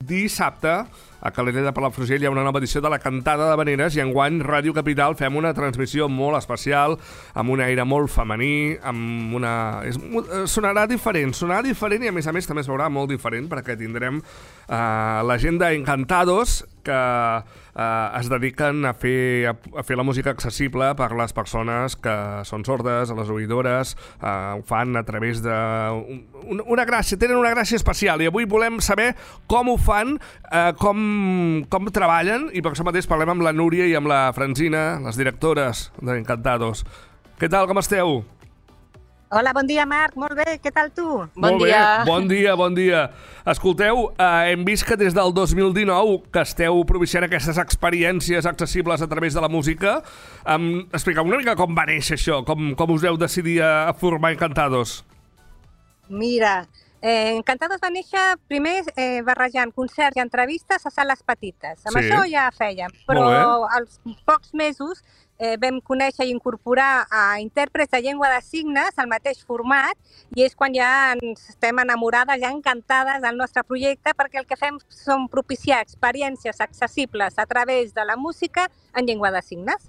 dissabte a Calella de Palafrugell hi ha una nova edició de la Cantada d'Havaneres i enguany Ràdio Capital fem una transmissió molt especial, amb un aire molt femení, amb una... Sonarà diferent i a més també es veurà molt diferent perquè tindrem la gent d'Encantados que es dediquen a fer la música accessible per les persones que són sordes, a les oïdores, ho fan a través de... tenen una gràcia especial i avui volem saber com ho fan, com treballen i per això mateix parlem amb la Núria i amb la Francina, les directores d'Encantados. Què tal, com esteu? Hola, bon dia, Marc. Molt bé, què tal tu? Bon dia. Bon dia. Escolteu, hem vist que des del 2019 que esteu propiciant aquestes experiències accessibles a través de la música. Expliqueu una mica com va néixer això, com us vau decidir a formar Encantados. Mira, Encantados va néixer primer barrejant concerts i entrevistes a sales petites. Amb això ja fèiem, però als pocs mesos vam conèixer i incorporar a intèrprets de llengua de signes al mateix format i és quan ja ens estem enamorades, ja encantades del nostre projecte perquè el que fem són propiciar experiències accessibles a través de la música en llengua de signes.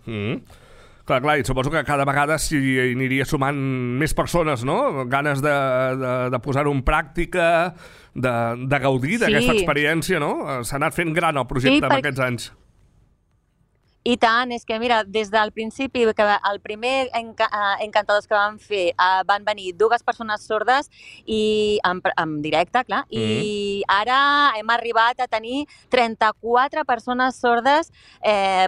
Clar, i suposo que cada vegada s'hi aniria sumant més persones, no? Ganes de posar-ho en pràctica, de gaudir d'aquesta experiència, no? S'ha anat fent gran el projecte en aquests anys. I tant, és que mira, des del principi, que el primer Encantados que vam fer van venir 2 persones sordes i en directe, clar, i ara hem arribat a tenir 34 persones sordes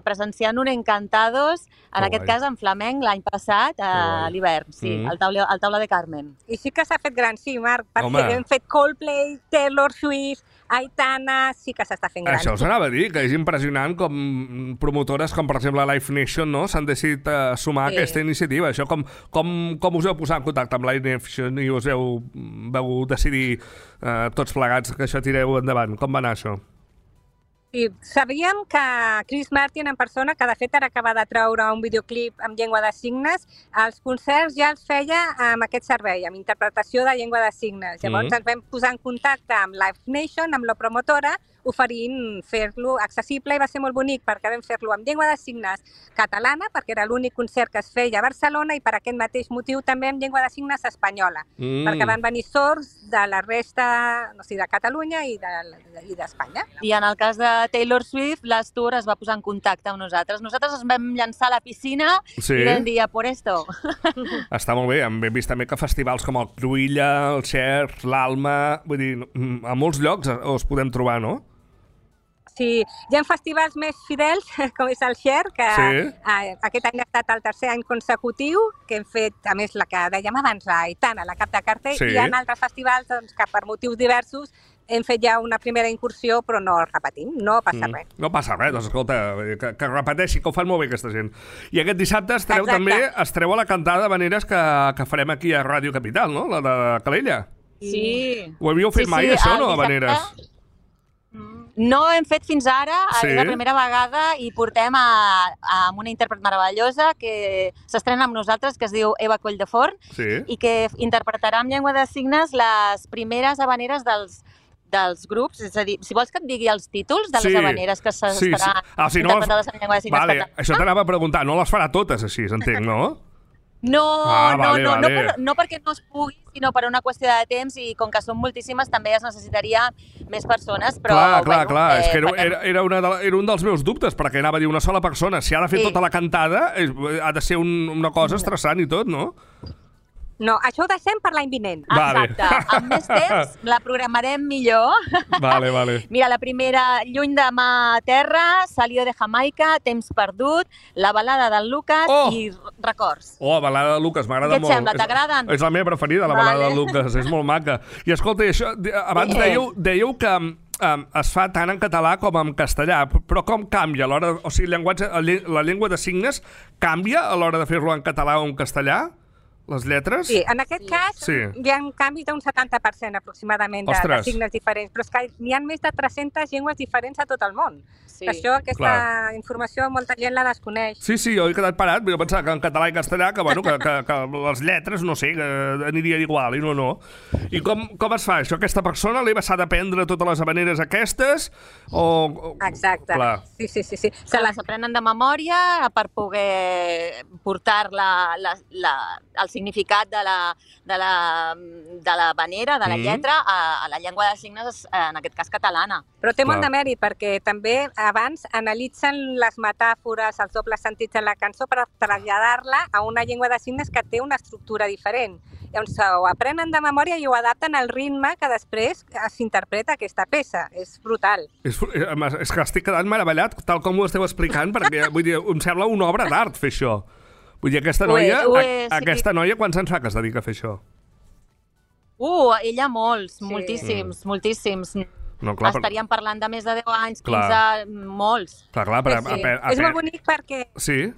presenciant un Encantados, en aquest cas en flamenc, l'any passat, a l'hivern, al Taula de Carmen. I sí que s'ha fet gran, sí, Marc, perquè hem fet Coldplay, Taylor Swift, Aitana, sí que s'està fent gran. Això us anava a dir, que és impressionant com promotores com, per exemple, Live Nation, no? S'han decidit sumar a aquesta iniciativa. Això com us heu posat en contacte amb Live Nation i us vau decidir tots plegats que això tireu endavant? Com va anar això? Sí, sabíem que Chris Martin en persona, que de fet ara acaba de treure un videoclip en llengua de signes, els concerts ja els feia amb aquest servei, amb interpretació de llengua de signes. Llavors ens vam posar en contacte amb Live Nation, amb la promotora, oferint fer-lo accessible i va ser molt bonic perquè vam fer-lo amb llengua de signes catalana, perquè era l'únic concert que es feia a Barcelona i per aquest mateix motiu també amb llengua de signes espanyola, perquè van venir sords de la resta, no sé, de Catalunya i d'Espanya. I en el cas de Taylor Swift, l'Astur es va posar en contacte amb nosaltres. Nosaltres ens vam llançar a la piscina i vam dir, por esto. Està molt bé, hem vist també que festivals com el Cruïlla, el Cher, l'Alma, vull dir, a molts llocs us podem trobar, no? Sí, hi ha festivals més fidels, com és el Cher, que aquest any ha estat el 3è any consecutiu, que hem fet, a més, la que dèiem abans, la Aitana, la cap de cartell, i hi ha altres festivals que per motius diversos hem fet ja una primera incursió, però no repetim, no passa res. No passa res, doncs escolta, que repeteixi, que ho fan molt bé aquesta gent. I aquest dissabte estareu a la Cantada d'Havaneres que farem aquí a Ràdio Capital, no? La de Calella. Sí. Ho havíeu fet mai, això, no, Havaneres? No hem fet fins ara, és la primera vegada i portem amb una intèrpret meravellosa que s'estrena amb nosaltres, que es diu Eva Colldeforn, i que interpretarà en llengua de signes les primeres havaneres dels grups. És a dir, si vols que et digui els títols de les havaneres que s'estaran interpretades en llengua de signes. Vale, això t'anava a preguntar, no les farà totes així, entenc, no? No perquè no es pugui, sinó per una qüestió de temps i com que són moltíssimes també es necessitaria més persones, però... Clar, és que era un dels meus dubtes, perquè anava a dir una sola persona, si ha de fer tota la cantada, ha de ser una cosa estressant i tot, no? No, això ho deixem per l'any vinent. Exacte. Amb més temps la programarem millor. Vale. Mira, la primera, Lluny de mà a terra, Salió de Jamaica, Temps perdut, La balada del Lucas i Records. Balada del Lucas, m'agrada molt. Què et sembla? T'agraden? És la meva preferida, la balada del Lucas, és molt maca. I escolta, això, abans dèieu que es fa tant en català com en castellà, però com canvia a l'hora... O sigui, la llengua de signes canvia a l'hora de fer-lo en català o en castellà? Les lletres? Sí, en aquest cas Sí. hi ha canvis d'un 70% aproximadament de Ostres. signes diferents, però és que n'hi ha més de 300 llengües diferents a tot el món. Sí. Això, aquesta informació, molta gent la desconeix. Sí, jo he quedat parat, jo pensava que en català i castellà, que les lletres, no sé, que anirien igual, i no. I com es fa això? Aquesta persona s'ha d'aprendre totes les habaneres aquestes? Exacte. Clar. Sí. Se les aprenen de memòria per poder portar el significat de la habanera, de la lletra, a la llengua de signes, en aquest cas catalana. Però té molt Clar. de mèrit, perquè també abans analitzen les metàfores, els dobles sentits de la cançó per traslladar-la a una llengua de signes que té una estructura diferent. Llavors ho aprenen de memòria i ho adapten al ritme que després s'interpreta aquesta peça. És brutal. És que estic quedant meravellat, tal com ho esteu explicant, perquè vull dir, em sembla una obra d'art fer això. Vull dir, aquesta noia, sí. aquesta noia quants anys fa que es dedica a fer això? Ella molts, moltíssims. No, clar, Estaríem parlant de més de 10 anys, 15, Clar. molts. Clar, És molt bonic perquè... Sí?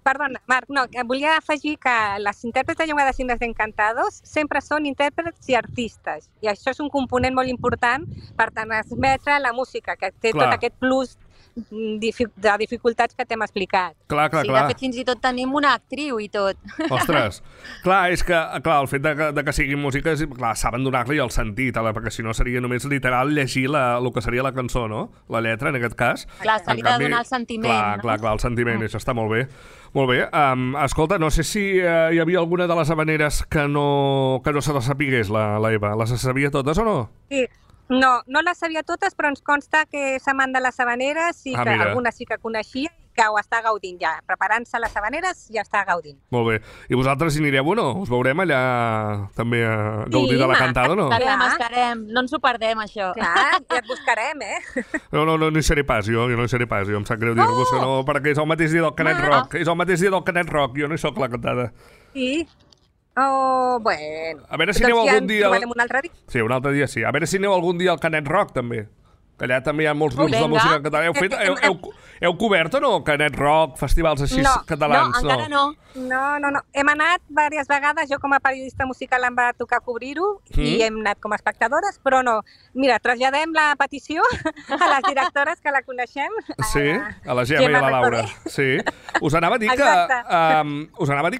Perdona, Marc, no, volia afegir que les intèrprets de llengua de signes d'Encantados sempre són intèrprets i artistes. I això és un component molt important per transmetre la música, que té Clar. tot aquest plus de dificultats que t'hem explicat. Clar. De fet, fins i tot tenim una actriu i tot. Ostres, clar, és que el fet de que siguin músiques, clar, saben donar-li el sentit, perquè si no seria només literal llegir el que seria la cançó, no? La lletra, en aquest cas. Clar, se li ha de donar el sentiment. Clar, el sentiment, això està molt bé. Molt bé, escolta, no sé si hi havia alguna de les habaneres que no se les sapigués, la Eva. Les sabia totes o no? Sí. No les sabia totes, però ens consta que és amant de les habaneres i que mira. algunes sí que coneixia i que ho està gaudint ja. Preparant-se les habaneres ja està gaudint. Molt bé. I vosaltres hi anireu o no? Us veurem allà també a gaudir de la cantada o no? Estarem. No ens ho perdem, això. Clar, ja et buscarem, No hi seré pas, jo no hi seré pas. Jo em sap greu dir-vos que no, perquè és el mateix dia del Canet Rock. És el mateix dia del Canet Rock, jo no hi soc la cantada. Sí. Oh, bueno. A veure si aneu algun dia... Doncs ja ens trobarem un altre dia. Sí, un altre dia sí. A veure si aneu algun dia al Canet Rock, també. Que allà també hi ha molts grups de música catalana. Heu cobert o no? Canet Rock, festivals així catalans? No, encara no. No. Hem anat diverses vegades, jo com a periodista musical em va tocar cobrir-ho i hem anat com a espectadores, però no. Mira, traslladem la petició a les directores que la coneixem. Sí, a la Gemma i a la Laura. Sí. Us anava a dir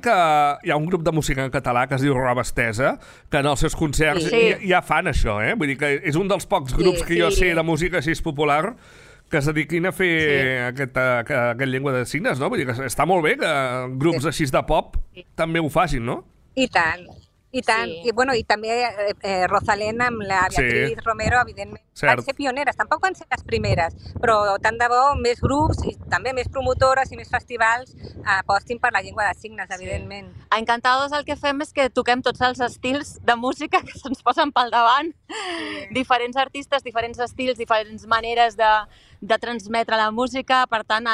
que hi ha un grup de música en català que es diu Roba Estesa, que en els seus concerts ja fan això, eh? Vull dir que és un dels pocs grups que jo sé de música així popular que es dediquin a fer aquest llengua de signes, no? Vull dir que està molt bé que grups així de pop també ho facin, no? I tant. I tant. Sí. I també Rosalén amb la Beatriz Romero, evidentment, van ser pioneres. Tampoc van ser les primeres, però tant de bo més grups i també més promotores i més festivals apostin per la llengua de signes, evidentment. A Encantados el que fem és que toquem tots els estils de música que se'ns posen pel davant. Diferents artistes, diferents estils, diferents maneres de transmetre la música. Per tant,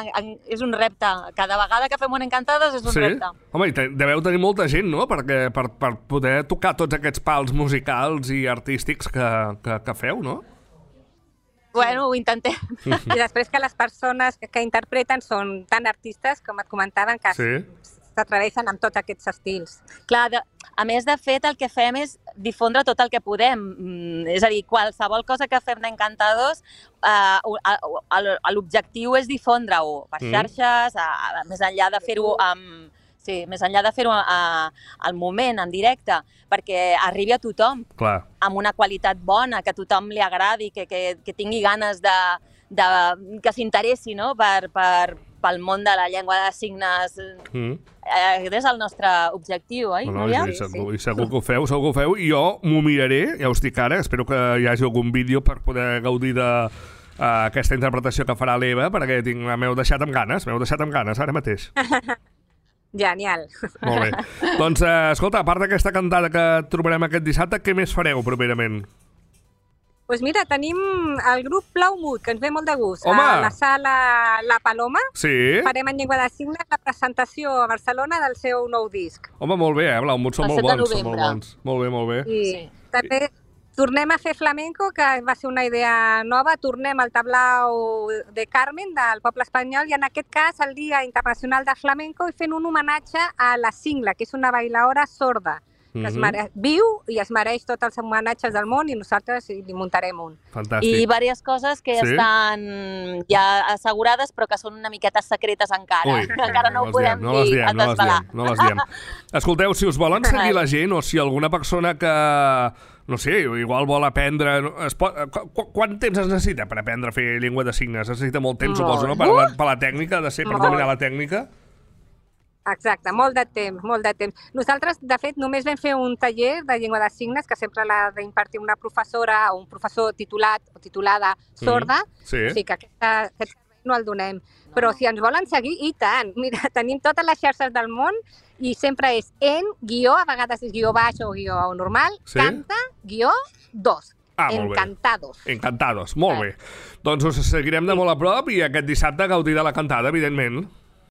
és un repte. Cada vegada que fem un Encantados és un repte. Home, i deveu tenir molta gent, no?, per poder tocar tots aquests pals musicals i artístics que feu, no? Bueno, ho intentem. I després que les persones que interpreten són tan artistes, com et comentaven, que s'atreveixen amb tots aquests estils. Clar, a més, de fet, el que fem és difondre tot el que podem. És a dir, qualsevol cosa que fem d'Encantados, l'objectiu és difondre-ho per xarxes, més enllà de fer-ho més enllà de fer-ho al moment, en directe, perquè arribi a tothom. Clar. Amb una qualitat bona, que a tothom li agradi, que tingui ganes que s'interessi, no?, pel món de la llengua de signes. És el nostre objectiu, oi, Núria? I segur que ho feu, i jo m'ho miraré, ja us dic ara, espero que hi hagi algun vídeo per poder gaudir d'aquesta interpretació que farà l'Eva, perquè m'heu deixat amb ganes ara mateix. Genial. Molt bé. Doncs, escolta, a part d'aquesta cantada que trobarem aquest dissabte, què més fareu properament? Doncs mira, tenim el grup Blaumut, que ens ve molt de gust. Home! A la sala La Paloma. Sí. Farem en llengua de signes la presentació a Barcelona del seu nou disc. Home, molt bé, Blaumut són molt bons. Molt bé. I també tornem a fer flamenco, que va ser una idea nova, tornem al tablau de Carmen, del poble espanyol, i en aquest cas el Dia Internacional de Flamenco, i fent un homenatge a la Singla, que és una bailaora sorda, que viu i es mereix tots els homenatges del món, i nosaltres li muntarem un. Fantàstic. I diverses coses que estan ja assegurades, però que són una miqueta secretes encara. Ui, encara no ho podem dir a desvelar. No les diem. Escolteu, si us volen seguir la gent, o si alguna persona que, no sé, igual vol aprendre... Quant temps es necessita per aprendre a fer llengua de signes? Es necessita molt temps, suposo, no? Per la tècnica, per dominar la tècnica? Exacte, molt de temps. Nosaltres, de fet, només vam fer un taller de llengua de signes, que sempre l'ha d'impartir una professora o un professor titulat o titulada sorda, o sigui que aquest servei no el donem. Però si ens volen seguir, i tant! Mira, tenim totes les xarxes del món i sempre és a vegades és guió baix o guió normal, canta, guió 2. Encantados. Encantados, molt bé. Doncs us seguirem de molt a prop i aquest dissabte gaudir de la cantada, evidentment.